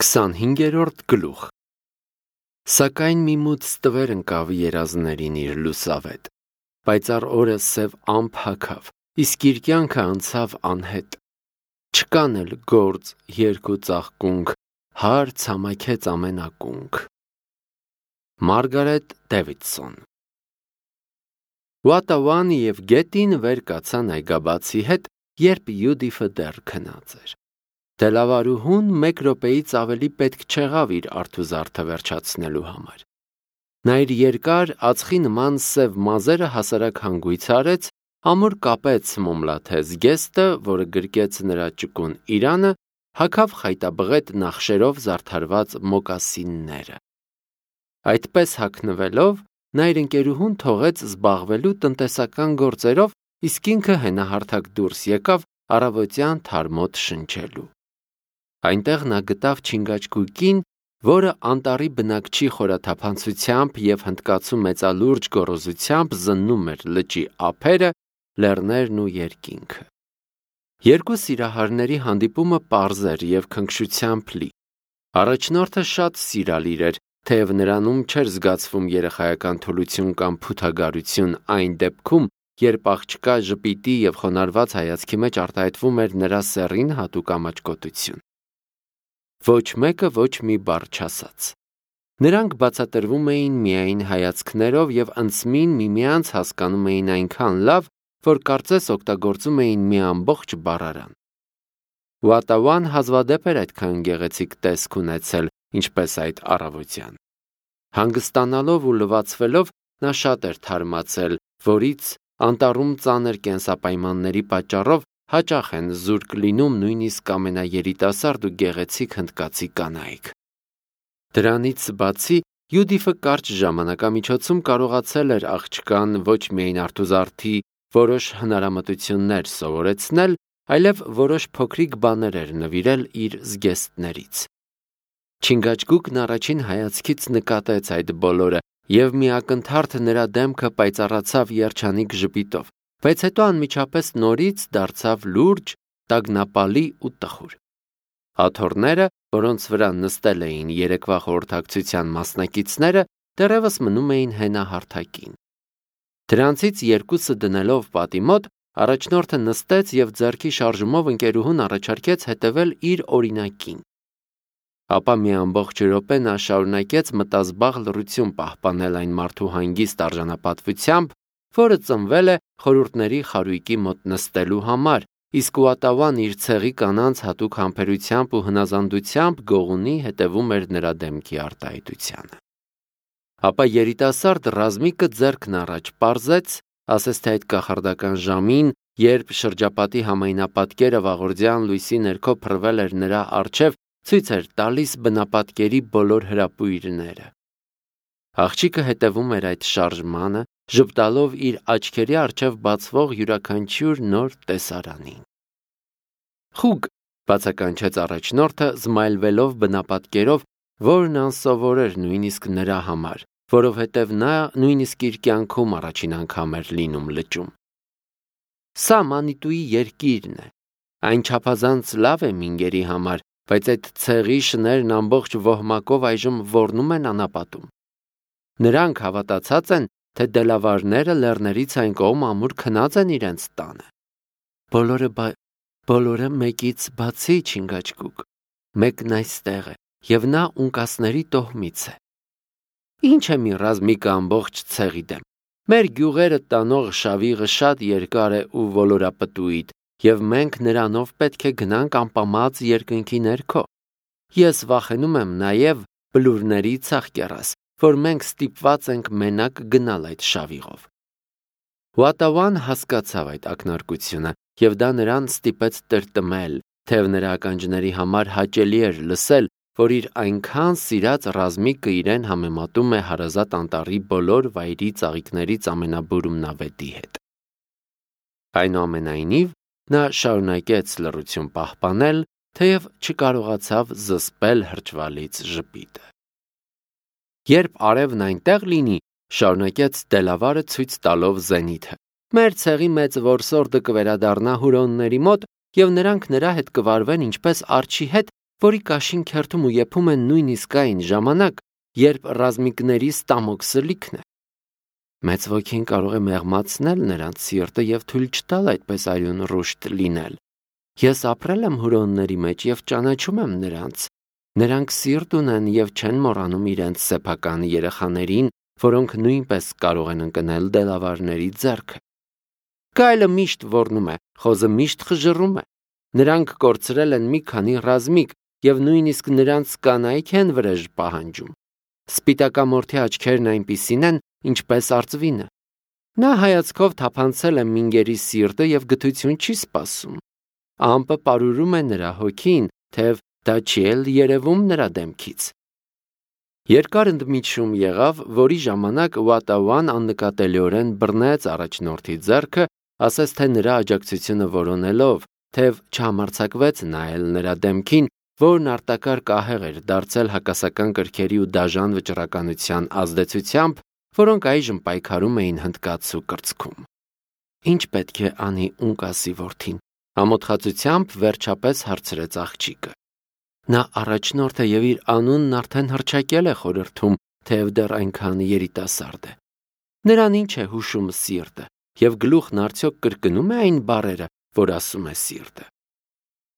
25-րդ գլուխ Սակայն մի մութ ստվեր ընկավ երազներին իր լուսավետ, պայծառ օրը սև ամփ հագավ, իսկ իր կյանքը անցավ անհետ։ Չկան էլ գործ, երգ ու ծաղկունք, հարց համայքեց ամեն ակունք։ Մարգարետ Դևիդսոն Ուատավանի և գետին վեր կացան այգաբացի հետ, երբ Յուդիֆը դեռ քնած էր։ Դելավարուհուն մեկ րոպեից ավելի պետք չեղավ իր արթուզարդը վերջացնելու համար։ Նա իր երկար ածխի նման սև մազերը հասարակ հանգույց արեց, ամուր կապեց մոմլաթե զգեստը, որը գրկեց նրա ճկուն իրանը, հագավ խայտաբղետ նախշերով զարդարված մոկասինները։ Այդպես հագնվելով, նա իր ընկերուհուն թողեց զբաղվելու տնտեսական գործերով, իսկ ինքը հենահարթակ դուրս եկավ առավոտյան թարմոտ շնչելու։ Այնտեղ նա գտավ չինգաչգուկին, որը անտառի բնակչի խորաթափանցությամբ և հնդկացու մեծալուրջ գոռոզությամբ զննում էր լճի ափերը, լեռներն ու երկինքը։ Երկու սիրահարների հանդիպումը պարզ էր և քնքշությամբ լի։ Առաջնորդը շատ սիրալիր էր, թեև նրանում չէր զգացվում երեխայական թուլություն կամ փութագարություն այն դեպքում, երբ աղջկա ժպիտի և խոնարհված հայացքի մեջ արտահայտվում էր նրա սեռին հատուկ ամաչկոտություն։ Ոչ մեկը ոչ մի բառ չասաց։ Նրանք բացատրվում էին միայն հայացքներով և անցմին միմյանց հասկանում էին այնքան լավ, որ կարծես օգտագործում էին մի ամբողջ բառարան։ Ուատավան հազվադեպ էր այդքան գեղեցիկ տեսք ունեցել, ինչպես այդ առավոտյան։ Հանգստանալով ու լվացվելով նա շատ էր թարմացել, որից անտառում ծանր կենսապայմանների պատճառով հաճախ են զուրկ լինում նույնիսկ ամենաերիտասարդ ու գեղեցիկ հնդկացի կանայք։ Դրանից բացի Յուդիֆը կարճ ժամանակամիջոցում կարողացել էր աղջկան ոչ միայն արթուզարդի որոշ հնարամտություններ սովորեցնել, այլև որոշ փոքրիկ բաներ էր նվիրել իր զգեստներից։ Չինգաչգուկն առաջին հայացքից նկատեց այդ բոլորը և մի ակնթարթ նրա դեմքը պայծառացավ երջանիկ ժպիտով, բայց հետո անմիջապես նորից դարձավ լուրջ, տագնապալի ու տխուր։ Աթոռները, որոնց վրա նստել էին երեկվա խորհրդակցության մասնակիցները, դեռևս մնում էին հենահարթակին։ Դրանցից երկուսը դնելով պատի մոտ, առաջնորդը նստեց և ձեռքի շարժումով ընկերուհուն առաջարկեց հետևել իր օրինակին։ Ապա մի ամբողջ րոպե նա շարունակեց մտազբաղ լռություն պահպանել այն մարդու հանգիստ արժանապատվությամբ, որը ծնվել է խորհուրդների խարույկի մոտ նստելու համար, իսկ Ուատավան իր ցեղի կանանց հատուկ համբերությամբ ու հնազանդությամբ գողունի հետևում էր նրա դեմքի արտահայտությանը։ Ապա երիտասարդ ռազմիկը ձեռքն առաջ պարզեց, ասես թե այդ կախարդական ժամին, երբ շրջապատի համայնապատկերը վաղորդյան լույսի ներքո փռվել էր նրա առջև, ցույց էր տալիս բնապատկերի բոլոր հրապույրները։ Աղջիկը հետևում էր այդ շարժմանը, ժպտալով իր աչքերի առջև բացվող յուրաքանչյուր նոր տեսարանին։ Խուգ, բացականչեց առաջնորդը, զմայլվելով բնապատկերով, որն անսովոր էր նույնիսկ նրա համար, որովհետև նա նույնիսկ իր կյանքում առաջին անգամ էր լինում լճում։ Սա Մանիտուի երկիրն է։ Այն չափազանց լավ է մինգերի համար, բայց այդ ցեղի շներն ամբողջ ոհմակով այժմ ոռնում են անապատում։ Նրանք հավատացած են, թե դելավարները լեռներից այն կողմ ամուր քնած են իրենց տանը։ Բոլորը մեկից բացի Չինգաչգուկ, մեկն այստեղ է, և նա ունկասների տոհմից է։ Ինչ է մի ռազմիկը ամբողջ ցեղի դեմ։ Մեր գյուղերը տանող շավիղը շատ երկար է ու ոլորապտույտ, և մենք նրանով պետք է գնանք ամպամած երկնքի ներքո։ Ես վախենում եմ նաև բլուրների ցախկեռաս, որ մենք ստիպված ենք մենակ գնալ այդ շավիղով։ Ուատավան հասկացավ այդ ակնարկությունը, և դա նրան ստիպեց տրտմել, թեև նրա ականջների համար հաճելի էր լսել, որ իր այնքան սիրած ռազմիկը իրեն համեմատում է հարազատ անտառի բոլոր վայրի ծաղիկներից ամենաբուրումնավետի հետ։ Այնուամենայնիվ, նա շարունակեց լռություն պահպանել, թեև չկարողացավ զսպել հրճվալից ժպիտը։ Երբ արևն այնտեղ լինի, շարունակեց Դելավարը ցույց տալով զենիթը, մեր ցեղի մեծ որսորդը կվերադառնա հուրոնների մոտ, և նրանք նրա հետ կվարվեն ինչպես արջի հետ, որի կաշին քերթում ու եփում են նույնիսկ այն ժամանակ, երբ ռազմիկների ստամոքսը լիքն է։ Մեծ ոգին կարող է մեղմացնել նրանց սիրտը եւ թույլ չտալ այդպես արյուն ռուշտ լինել։ Ես ապրել եմ հուրոնների մեջ եւ ճանաչում եմ նրանց։ Նրանք սիրտ ունեն եւ չեն մոռանում իրենց սեփական երեխաներին, որոնք նույնպես կարող են ընկնել դելավարների ձեռքը։ Գայլը միշտ ոռնում է, խոզը միշտ խժռում է։ Նրանք կորցրել են մի քանի ռազմիկ եւ նույնիսկ նրանց կանայք են վրեժ պահանջում։ Սպիտակամորթի աչքերն այնպիսին են, ինչպես արծվինը։ Նա հայացքով թափանցել է մինգերի սիրտը եւ գթություն չի սպասում։ Ամպը պարուրում է նրա հոգին, թեև դա չի էլ երևում նրա դեմքից։ Երկար ընդմիջում եղավ, որի ժամանակ Վատավան աննկատելիորեն բռնեց առաջնորդի ձեռքը, ասես թե նրա աջակցությունը որոնելով, թեև չհամարձակվեց նայել նրա դեմքին, որն արտակարգ ահեղ էր դարձել հակասական կրքերի ու դաժան վճռականության ազդեցությամբ, որոնք այժմ պայքարում էին հնդկացու կրծքում։ Ինչ պետք է անի Ունկասի որդին, ամոթխածությամբ վերջապես հարցրեց աղջիկը։ Նա առաջնորդ է եւ իր անունն արդեն հռչակել է խորհրդում, թեև դեռ այնքան երիտասարդ է։ Նրան ինչ է հուշում սիրտը, եւ գլուխն արդյոք կրկնում է այն բառերը, որ ասում է սիրտը։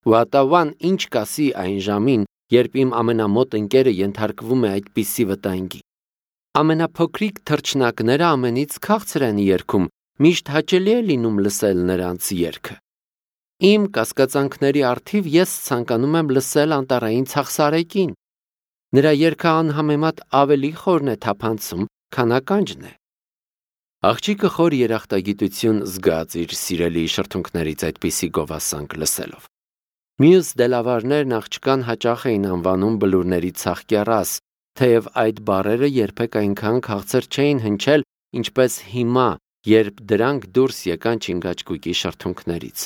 Վատավան ինչ կասի այն ժամին, երբ իմ ամենամոտ ընկերը ենթարկվում է այդպիսի վտանգի։ Ամենափոքրիկ թռչնակները ամենից քաղցր են երգում, միշտ հաճելի է լինում լսել նրանց երգը։ Իմ կասկածանքների առթիվ ես ցանկանում եմ լսել անտառային ցախսարեկին։ Նրա երգը անհամեմատ ավելի խորն է թափանցում, քան ականջն է։ Աղջիկը խոր երախտագիտություն զգաց իր սիրելի շրթունքներից այդպիսի գովասանք լսելով։ Մյուս դելավարներն աղջկան հաճախ էին անվանում բլուրների ցախկեռաս, թեև այդ բառերը երբեք այնքան քաղցր չէին հնչել, ինչպես հիմա, երբ դրանք դուրս եկան Չինգաչգուկի շրթունքներից։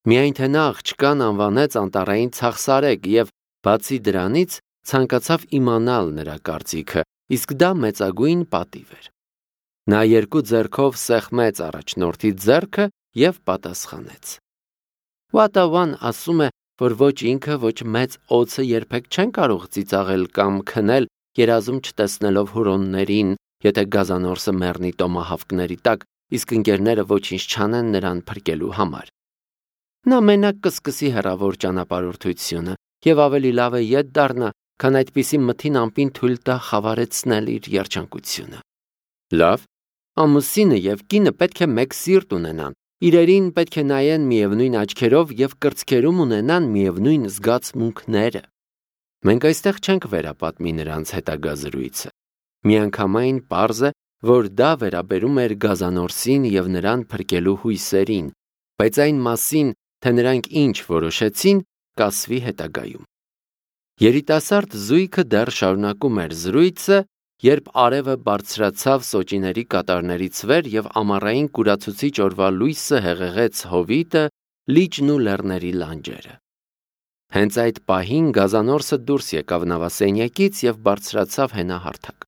Միայն թե նա աղջկան անվանեց անտառային ցախսարեկ եւ բացի դրանից ցանկացավ իմանալ նրա կարծիքը, իսկ դա մեծագույն պատիվ էր։ Նա երկու ձեռքով սեղմեց առաջնորդի ձեռքը եւ պատասխանեց։ Վատավան ասում է, որ ոչ ինքը, ոչ մեծ օձը երբեք չեն կարող ծիծաղել կամ քնել, երազում չտեսնելով հուրոններին, եթե գազանորսը մեռնի տոմահավկների տակ, իսկ ընկերները ոչինչ չանեն նրան փրկելու համար։ Նա մենակ կսկսի հեռավոր ճանապարհորդությունը եւ ավելի լավ է ետ դառնա, քան այդպիսի մթին ամպին թույլ տա խավարեցնել իր երջանկությունը։ Լավ, ամուսինը եւ կինը պետք է մեկ սիրտ ունենան, իրերին պետք է նայեն միևնույն աչքերով եւ կրծքերում ունենան միևնույն զգացմունքները։ Մենք այստեղ չենք վերապատմի նրանց հետագա զրույցը։ Միանգամայն պարզ է, որ դա վերաբերում էր գազանորսին եւ նրան փրկելու հույսերին, բայց այն մասին, թե նրանք ինչ որոշեցին, կասվի հետագայում։ Երիտասարդ զույգը դեռ շարունակում էր զրույցը, երբ արևը բարձրացավ սոճիների կատարներից վեր եւ ամառային կուրացուցիչ օրվա լույսը հեղեղեց հովիտը, լիճն ու լեռների լանջերը։ Հենց այդ պահին գազանորսը դուրս եկավ նավասենյակից եւ բարձրացավ հենահարթակ։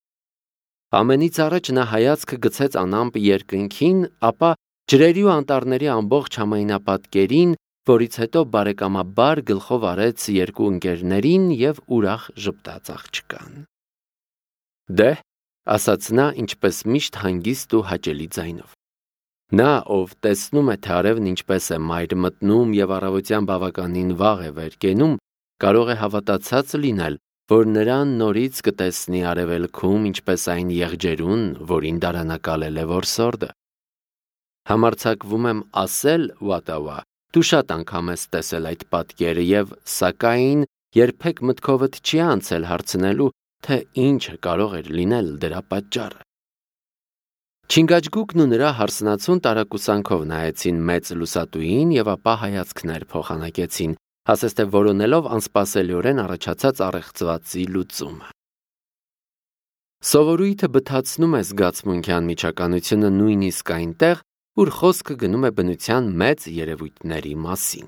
Ամենից առաջ նա հայացքը գցեց անամպ երկնքին, ապա ջրերի ու անտառների ամբողջ համայնապատկերին, որից հետո բարեկամաբար գլխով արեց երկու ընկերներին եւ ուրախ ժպտաց աղջկան։ Դե, ասաց նա ինչպես միշտ հանգիստ ու հաճելի ձայնով։ Նա, ով տեսնում է, թե արևն ինչպես է մայր մտնում եւ առավոտյան բավականին վաղ է վեր կենում, կարող է հավատացած լինել, որ նրան նորից կտեսնի արևելքում ինչպես այն եղջերուն, որին դարանակալել է որսորդը։ Համարձակվում եմ ասել, Վատավա, դու շատ անգամ ես տեսել այդ պատկերը եւ սակայն երբեք մտքովդ չի անցել հարցնելու, թե ինչը կարող էր լինել դրա պատճառը։ Չինգաչգուկն ու նրա հարսնացուն տարակուսանքով նայեցին մեծ լուսատուին եւ ապա հայացքներ փոխանակեցին, ասես թե որոնելով անսպասելիորեն առաջացած առեղծվածի լուծումը։ Սովորույթը բթացնում է զգացմունքյան միջականությունը նույնիսկ այնտեղ, ուր խոսքը գնում է բնության մեծ երևույթների մասին։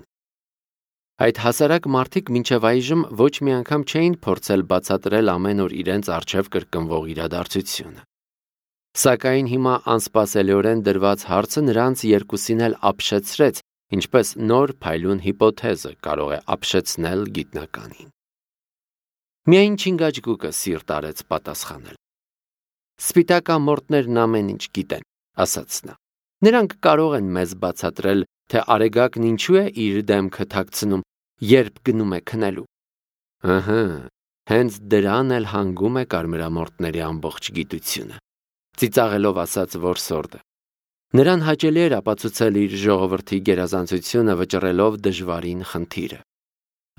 Այդ հասարակ մարդիկ մինչև այժմ ոչ մի անգամ չէին փորձել բացատրել ամեն օր իրենց առջև կրկնվող իրադարձությունը։ Սակայն հիմա անսպասելիորեն դրված հարցը նրանց երկուսին էլ ապշեցրեց ինչպես նոր փայլուն հիպոթեզը կարող է ապշեցնել գիտնականին։ Միայն Չինգաչգուկը սիրտ արեց պատասխանել։ Սպիտակամորտներն ամեն ինչ գիտեն, ասաց նա։ Նրանք կարող են մեզ բացատրել, թե արեգակն ինչու է իր դեմքը թաքցնում, երբ գնում է քնելու։ Ըհը, հենց դրան էլ հանգում է կարմրամորտների ամբողջ գիտությունը, ծիծաղելով ասաց որսորդը։ Նրան հաճելի էր ապացուցել իր ժողովրդի գերազանցությունը վճռելով դժվարին խնդիրը։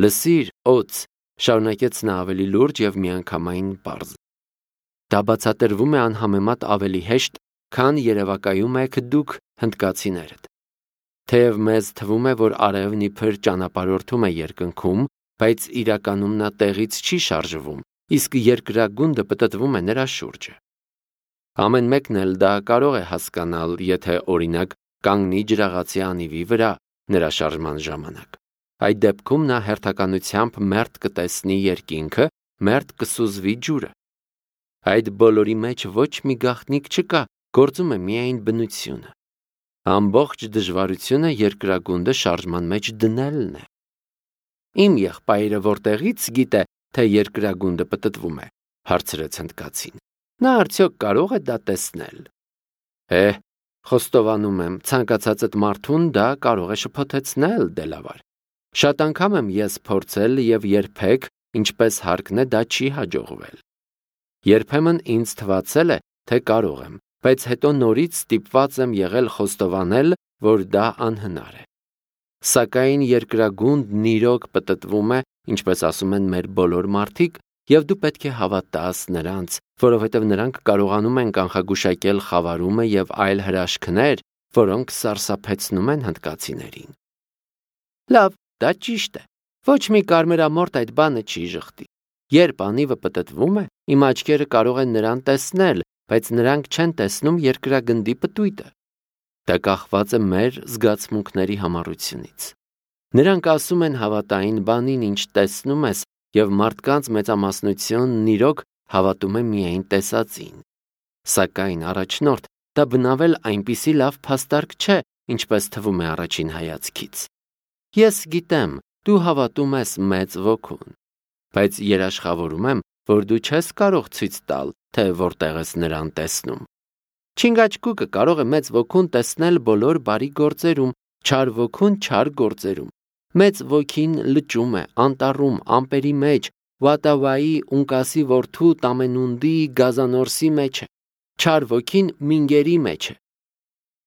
Լսիր, օձ, շարունակեց նա ավելի լուրջ և միանգամայն պարզ։ Դա բացատրվում է անհամեմատ ավելի հեշտ, քան երևակայում եք դուք հնդկացիներդ։ Թեև մեզ թվում է, որ արևն իբր ճանապարհորդում է երկնքում, բայց իրականում նա տեղից չի շարժվում, իսկ երկրագունդը պտտվում է նրա շուրջը։ Ամեն մեկն էլ դա կարող է հասկանալ, եթե օրինակ կանգնի ջրաղացի անիվի վրա նրա շարժման ժամանակ։ Այդ դեպքում նա հերթականությամբ մերթ կտեսնի երկինքը, մերթ կսուզվի ջուրը։ Այդ բոլորի մեջ ոչ մի գաղտնիք չկա, գործում է միայն բնությունը։ Ամբողջ դժվարությունը երկրագունդը շարժման մեջ դնելն է։ Իմ եղբայրը որտեղից գիտե, թե երկրագունդը պտտվում է, հարցրեց հնդկացին։ Նա արդյոք կարող է դա տեսնել։ Խոստովանում եմ, ցանկացածդ մարդուն դա կարող է շփոթեցնել, Դելավար։ Շատ անգամ եմ ես փորձել և երբեք, ինչպես հարկն է, դա չի հաջողվել։ Երբեմն ինձ թվացել է, թե կարող եմ, բայց հետո նորից ստիպված եմ եղել խոստովանել, որ դա անհնար է։ Սակայն երկրագունդն իրոք պտտվում է, ինչպես ասում են մեր բոլոր մարդիկ, և դու պետք է հավատաս նրանց, որովհետև նրանք կարողանում են կանխագուշակել խավարումը և այլ հրաշքներ, որոնք սարսափեցնում են հնդկացիներին։ Լավ, դա ճիշտ է։ Ոչ մի կարմրամորտ այդ բանը չի ժխտի։ Երբ անիվը պտտվում է, իմ աչքերը կարող են նրան տեսնել, բայց նրանք չեն տեսնում երկրագնդի պտույտը։ Դա կախված է մեր զգացմունքների համառությունից։ Նրանք ասում են հավատային բանին, ինչ տեսնում ես, և մարդկանց մեծամասնությունն իրոք հավատում է միայն տեսածին։ Սակայն առաջնորդ, դա բնավել այնպիսի լավ փաստարկ չէ, ինչպես թվում է առաջին հայացքից։ Ես գիտեմ, դու հավատում ես մեծ ոգուն, բայց երաշխավորում եմ, որ դու չես կարող ցույց տալ, թե որտեղ ես նրան տեսնում։ Չինգաչգուկը կարող է մեծ ոգուն տեսնել բոլոր բարի գործերում, չար ոգուն չար գործերում։ Մեծ ոգին լճում է, անտառում, ամպերի մեջ, Վատավայի, Ունկասի որդու Տամենունդի գազանորսի մեջ է, չար ոգին մինգերի մեջ է։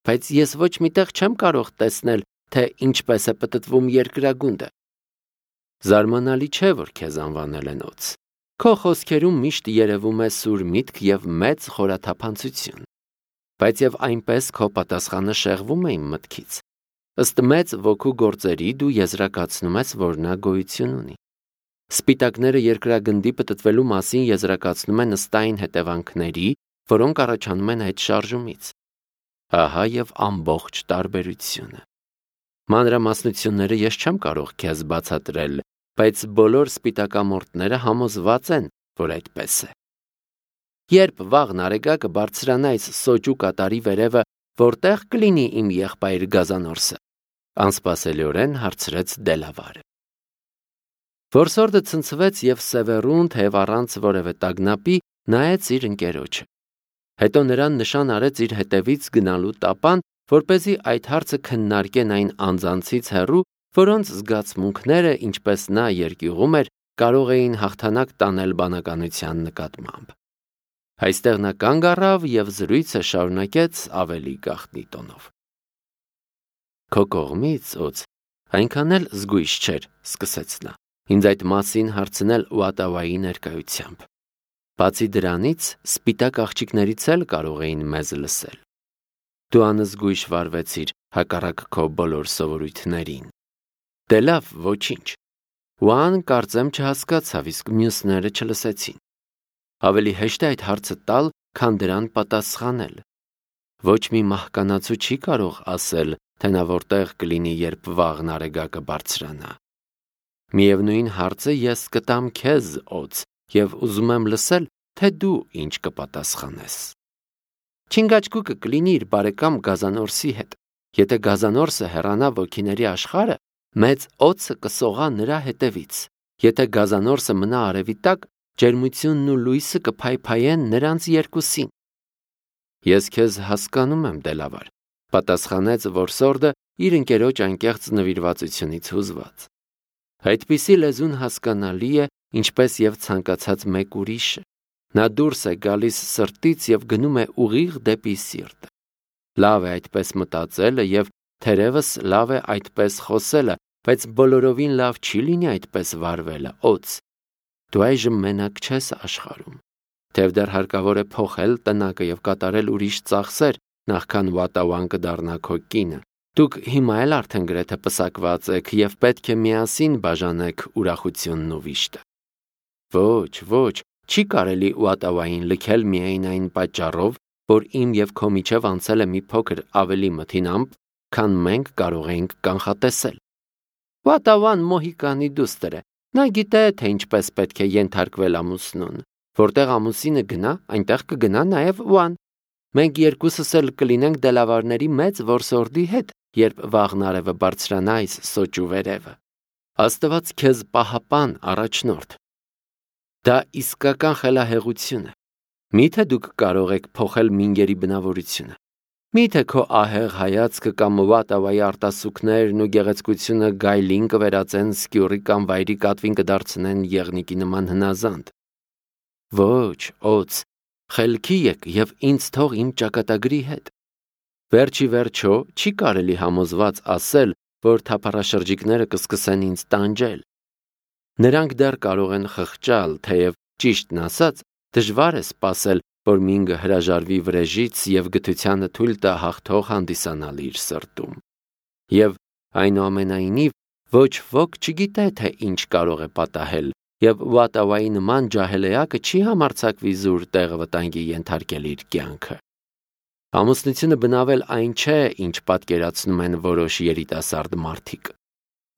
Բայց ես ոչ միտեղ չեմ կարող տեսնել, թե ինչպես է պտտվում երկրագունդը։ Զարմանալի չէ, որ քեզ անվանել են օձ։ Քո խոսքերում միշտ երևում է սուր միտք և մեծ խորաթափանցություն։ Բայց և այնպես քո պատասխանը շեղվում է իմ մտքից։ Ըստ մեծ ոգու գործերի դու եզրակացնում ես, որ նա գոյություն ունի։ Սպիտակները երկրագնդի պտտվելու մասին եզրակացնում են ըստ այն հետևանքների, որոնք առաջանում են այդ շարժումից։ Ահա և ամբողջ տարբերությունը։ Մանրամասնությունները ես չեմ կարող քեզ բացատրել, բայց բոլոր սպիտակամորտները համոզված են, որ այդպես է։ Երբ վաղն արեգակը բարձրանա այս սոճու կատարի վերևը, որտեղ կլինի իմ եղբայր գազանորսը, անսպասելիորեն հարցրեց Դելավարը։ Որսորդը ցնցվեց և սևեռուն, թեև առանց որևէ տագնապի, նայեց իր ընկերոջը։ Հետո նրան նշան արեց իր հետևից գնալու տապան, որպեսզի այդ հարցը քննարկեն այն անձանցից հեռու, որոնց զգացմունքները, ինչպես նա երկյուղում էր, կարող էին հաղթանակ տանել բանականության նկատմամբ։ Այստեղ նա կանգ առավ և զրույցը շարունակեց ավելի գաղտնի տոնով։ Քո կողմից, օձ, այնքան էլ զգույշ չէր, սկսեց նա, ինձ այդ մասին հարցնել Ուատավայի ներկայությամբ։ Բացի դրանից, սպիտակ աղջիկներից էլ կարող էին մեզ լսել։ Դու անզգույշ վարվեցիր հակառակ քո բոլոր սովորույթներին։ Դե լավ, ոչինչ։ Ուան կարծեմ չհասկացավ, իսկ մյուսները չլսեցին։ Ավելի հեշտ է այդ հարցը տալ, քան դրան պատասխանել։ Ոչ մի մահկանացու չի կարող ասել, թե նա որտեղ կլինի, երբ վաղն արեգակը բարձրանա։ Միևնույն հարցը ես կտամ քեզ, օձ, և ուզում եմ լսել, թե դու ինչ կպատասխանես։ Չինգաչգուկը կլինի իր բարեկամ գազանորսի հետ։ Եթե գազանորսը հեռանա ոգիների աշխարհը, մեծ օձը կսողա նրա հետևից։ Եթե գազանորսը մնա արևի տակ, ջերմությունն ու լույսը կփայփայեն նրանց երկուսին։ Ես քեզ հասկանում եմ, Դելավար, պատասխանեց որսորդը իր ընկերոջ անկեղծ նվիրվածությունից հուզված։ Այդպիսի լեզուն հասկանալի է, ինչպես եւ ցանկացած մեկ ուրիշը։ Նա դուրս է գալիս սրտից եւ գնում է ուղիղ դեպի սիրտը։ Լավ է այդպես մտածելը եւ թերևս լավ է այդպես խոսելը, բայց բոլորովին լավ չի լինի այդպես վարվելը, օձ։ Դու այժմ մենակ չես աշխարհում։ Թեև դեռ հարկավոր է փոխել տնակը եւ կատարել ուրիշ ծախսեր, նախքան Վատավան կդառնա քո կինը։ Դուք հիմա էլ արդեն գրեթե պսակված եք եւ պետք է միասին բաժանեք ուրախությունն ու վիշտը։ Ոչ, չի կարելի Վատավային լքել միայն այն պատճառով, որ իմ եւ քո միջև անցել է մի փոքր ավելի մթին ամպ, քան մենք կարող էինք կանխատեսել։ Վատավան Մոհիկանի դուստր է։ Նա գիտե, թե ինչպես պետք է ենթարկվել ամուսնուն։ Որտեղ ամուսինը գնա, այնտեղ կգնա նաև Վան։ Մենք երկուսս էլ կլինենք դելավարների մեծ որսորդի հետ, երբ վաղն արևը բարձրանա այս սոճու վերևը։ Աստված քեզ պահապան, առաջնորդ։ Դա իսկական խելահեղություն է։ Միթե դուք կարող եք փոխել մինգերի բնավորությունը։ Միթե քո ահեղ հայացքը կամ Վատավայի արտասուքներն ու գեղեցկությունը գայլին կվերածեն սկյուռի կամ վայրի կատվին կդարձնեն եղնիկի նման հնազանդ։ Ոչ, օձ, խելքի եք եւ ինձ թող իմ ճակատագրի հետ։ Վերջի վերջո չի կարելի համոզված ասել, որ թափառաշրջիկները կսկսեն ինձ տանջել։ Նրանք դեռ կարող են խղճալ, թեև ճիշտն ասած, դժվար է սպասել, որ մինգը հրաժարվի վրեժից եւ գթությանը թույլ տա հաղթող հանդիսանալ իր սրտում։ Եվ այնուամենայնիվ ոչ ոք չգիտե, թե ինչ կարող է պատահել, եւ Վատավայի նման ջահելեակը չի համարձակվի զուր տեղը վտանգի ենթարկել իր կյանքը։ Ամուսնությունը բնավել այն չէ, ինչ պատկերացնում են որոշ երիտասարդ մարդիկ։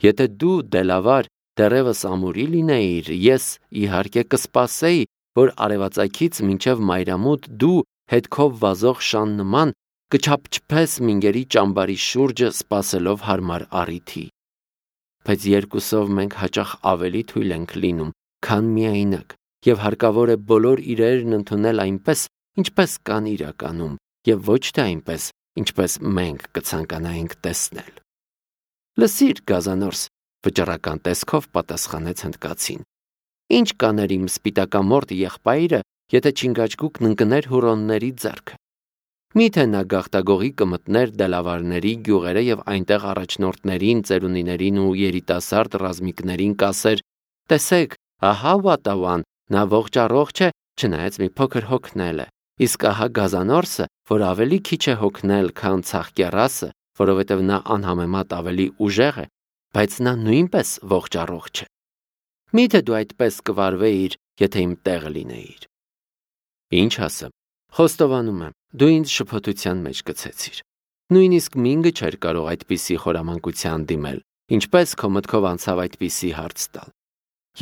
Եթե դու Դելավար դեռևս ամուրի լինեիր, ես իհարկե կսպասեի, որ արևածագից մինչև մայրամուտ դու հետքով վազող շան նման կչափչփես մինգերի ճամբարի շուրջը սպասելով հարմար առիթի։ Բայց երկուսով մենք հաճախ ավելի թույլ ենք լինում, քան միայնակ, եւ հարկավոր է բոլոր իրերն ընդունել այնպես, ինչպես կան իրականում, եւ ոչ թե այնպես, ինչպես մենք կցանկանայինք տեսնել։ Լսիր, գազանորս, վճռական տեսքով պատասխանեց հնդկացին։ Ինչ կաներ իմ սպիտակամորտ եղբայրը, եթե չինգաչգուկն ընկներ հուրոնների ձեռքը։ Միթե նա գաղտագողի կմտներ Դելավարների գյուղերը եւ այնտեղ առաջնորդներին, ծերունիներին ու երիտասարդ ռազմիկներին կասեր. տեսեք, ահա Վատավան, նա ողջ է, չնայած մի փոքր հոգնել է, իսկ ահա գազանորսը, որ ավելի քիչ է հոգնել, քան ցաղկեռասը, որովհետեւ նա անհամեմատ ավելի ուժեղ է, բայց նա նույնպես ողջ է։ Միթե դու այդպես կվարվեիր, եթե իմ տեղը լինեիր։ Ինչ ասեմ, խոստովանում եմ, դու ինձ շփոթության մեջ գցեցիր։ Նույնիսկ մինգը չէր կարող այդպիսի խորամանկության դիմել, ինչպես քո մտքով անցավ այդպիսի հարց տալ։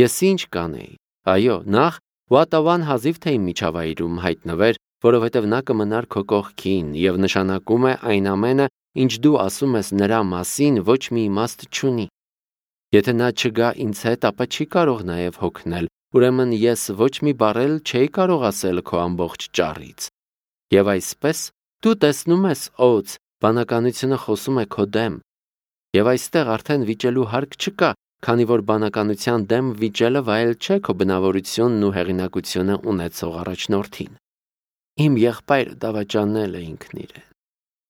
Ես ինչ կանեի։ Այո, նախ Վատավան հազիվ թե իմ միջավայրում հայտնվեր, որովհետև նա կմնար քո կողքին եւ նշանակում է այն ամենը, ինչ դու ասում ես նրա մասին, ոչ մի իմաստ չունի։ Եթե նա չգա ինձ հետ, ապա չի կարող նաև հոգնել, ուրեմն ես ոչ մի բառ էլ չէի կարող ասել քո ամբողջ ճառից։ Եվ այսպես դու տեսնում ես, օձ, բանականությունը խոսում է քո դեմ։ Եվ այստեղ արդեն վիճելու հարկ չկա, քանի որ բանականության դեմ վիճելը վայել չէ քո բնավորությունն ու հեղինակությունը ունեցող առաջնորդին։ Իմ եղբայրը դավաճանել է ինքն իրեն։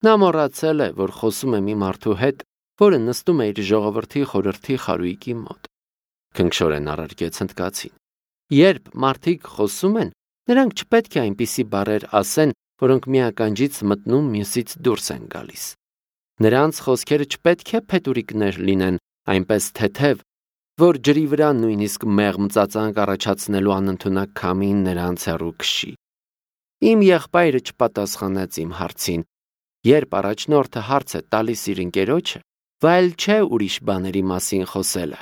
Նա մոռացել է, որ խոսում է մի մարդու հետ, որը նստում է իր ժողովրդի խորհրդի խարույկի մոտ։ Քնքշորեն առարկեց հնդկացին։ Երբ մարդիկ խոսում են, նրանք չպետք է այնպիսի բառեր ասեն, որոնք մի ականջից մտնում, մյուսից դուրս են գալիս։ Նրանց խոսքերը չպետք է փետուրիկներ լինեն, այնպես թեթև, որ ջրի վրա նույնիսկ մեղմ ծածանք առաջացնելու անընդունակ քամին նրանց հեռու քշի։ Իմ եղբայրը չպատասխանեց իմ հարցին։ Երբ առաջնորդը հարց է տալիս իր ընկերոջը, վայել չէ ուրիշ բաների մասին խոսելը։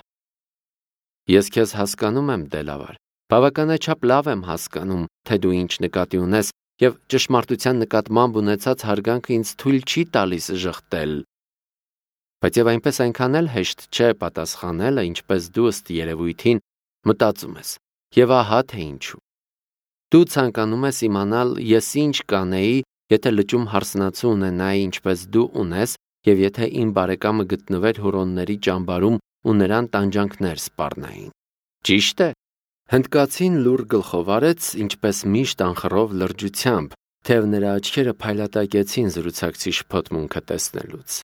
Ես քեզ հասկանում եմ, Դելավար, բավականաչափ լավ եմ հասկանում, թե դու ինչ նկատի ունես եւ ճշմարտության նկատմամբ ունեցած հարգանքը ինձ թույլ չի տալիս ժխտել։ Բայց եւ այնպես այնքան էլ հեշտ չէ պատասխանելը, ինչպես դու ըստ երևույթին մտածում ես։ Եվ ահա թե ինչու։ Դու ցանկանում ես իմանալ, ես ինչ կանեի, եթե լճում հարսնացու ունենայի, ինչպես դու ունես, եւ եթե իմ բարեկամը գտնվեր Հուրոնների ճամբարում ու նրան տանջանքներ սպառնային։ Ճիշտ է։ Հնդկացին լուր գլխով արեց, ինչպես միշտ անխռով լրջությամբ, թեև նրա աչքերը փայլատակեցին զրուցակցի շփոթմունքը տեսնելուց։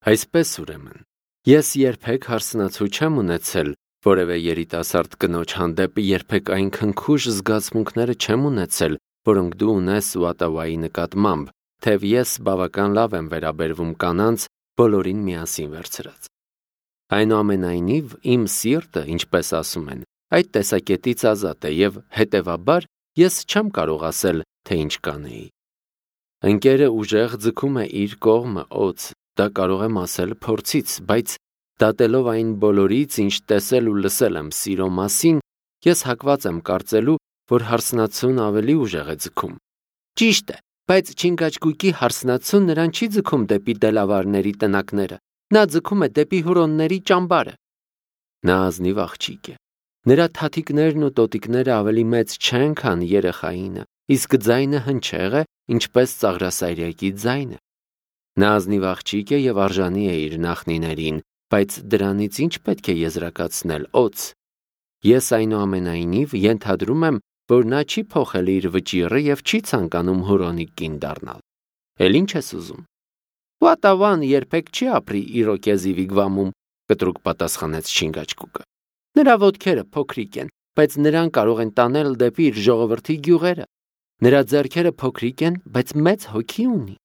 Այսպես ուրեմն, ես երբեք հարսնացու չեմ ունեցել որևէ երիտասարդ կնոջ հանդեպ, երբեք այն քնքուշ զգացմունքները չեմ ունեցել, որոնք դու ունես Ուատավայի նկատմամբ, թեև ես բավական լավ եմ վերաբերվում կանանց, բոլորին միասին վերցրած։ Այնուամենայնիվ, իմ սիրտը, ինչպես ասում են, այդ տեսակետից ազատ է եւ հետեւաբար ես չեմ կարող ասել, թե ինչ կանեի։ Ընկերը ուժեղ ձգում է իր կողմը օձ, դա կարող եմ ասել փորձից, բայց դատելով այն բոլորից, ինչ տեսել ու լսել եմ սիրո մասին, ես հակված եմ կարծելու, որ հարսնացուն ավելի ուժեղ է ձգում։ Ճիշտ է, բայց Չինգաչգուկի հարսնացուն նրան չի ձգում դեպի դելավարների տնակները, նա ձգում է դեպի Հուրոնների ճամբարը։ Նա ազնիվ աղջիկ է։ Նրա թաթիկներն ու տոտիկները ավելի մեծ չեն, քան երեխայինը, իսկ ձայնը հնչեղ է, ինչպես ծաղրասայրյակի ձայնը։ Նա ազնիվ աղջիկ է եւ արժանի է իր նախնիներին, բայց դրանից ինչ պետք է եզրակացնել օձ։ Ես այնուամենայնիվ ենթադրում եմ, որ նա չի փոխել իր վճիռը եւ չի ցանկանում Հուրոնի կին դառնալ։ Էլ ինչ ես ուզում։ Ուատավան երբեք չի ապրի Իրոկեզի վիգվամում, կտրուկ պատասխանեց Չինգաչգուկը։ Նրա ոտքերը փոքրիկ են, բայց նրան կարող են տանել դեպի իր ժողովրդի գյուղերը։ Նրա ձեռքերը փոքրիկ են, բայց մեծ հոգի ունի։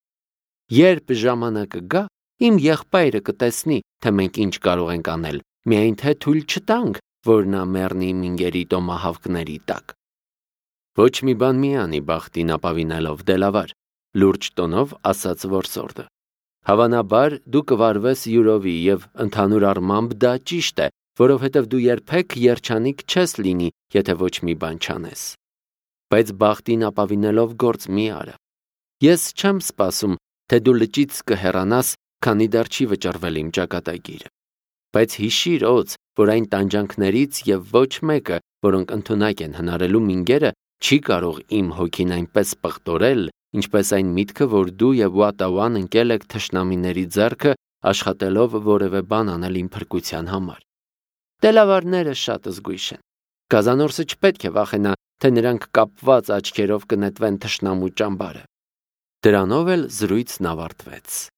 Երբ ժամանակը գա, իմ եղբայրը կտեսնի, թե մենք ինչ կարող ենք անել, միայն թե թույլ չտանք, որ նա մեռնի մինգերի տոմահավքների տակ։ Ոչ մի բան մի անի բախտին ապավինելով դելավար, լուրջ տոնով ասաց որսորդը։ Հավանաբար դու կվարվես յուրովի եւ ընդհանուր առմամբ դա ճիշտ է, որովհետև դու երբեք երջանիկ չես լինի, եթե ոչ մի բան չանես։ Բայց բախտին ապավինելով գործ մի արա։ Ես չեմ սպասում, թե դու լճից կհեռանաս, քանի դեռ չի վճռվել իմ ճակատագիրը։ Բայց հիշիր օձ, որ այն տանջանքներից եւ ոչ մեկը, որոնք ընդունակ են հնարելու մինգերը, չի կարող իմ հոգին այնպես պղտորել, ինչպես այն միտքը, որ դու եւ Ուատավան ընկել եք թշնամիների ձեռքը, աշխատելով որևէ բան անել իմ փրկության համար։ Դելավարները շատ զգույշ են։ Գազանորսը չպետք է վախենա, թե նրանք կապված աչքերով կնետվեն թշնամու ճամբարը։ Դրանով էլ զրույցն ավարտվեց։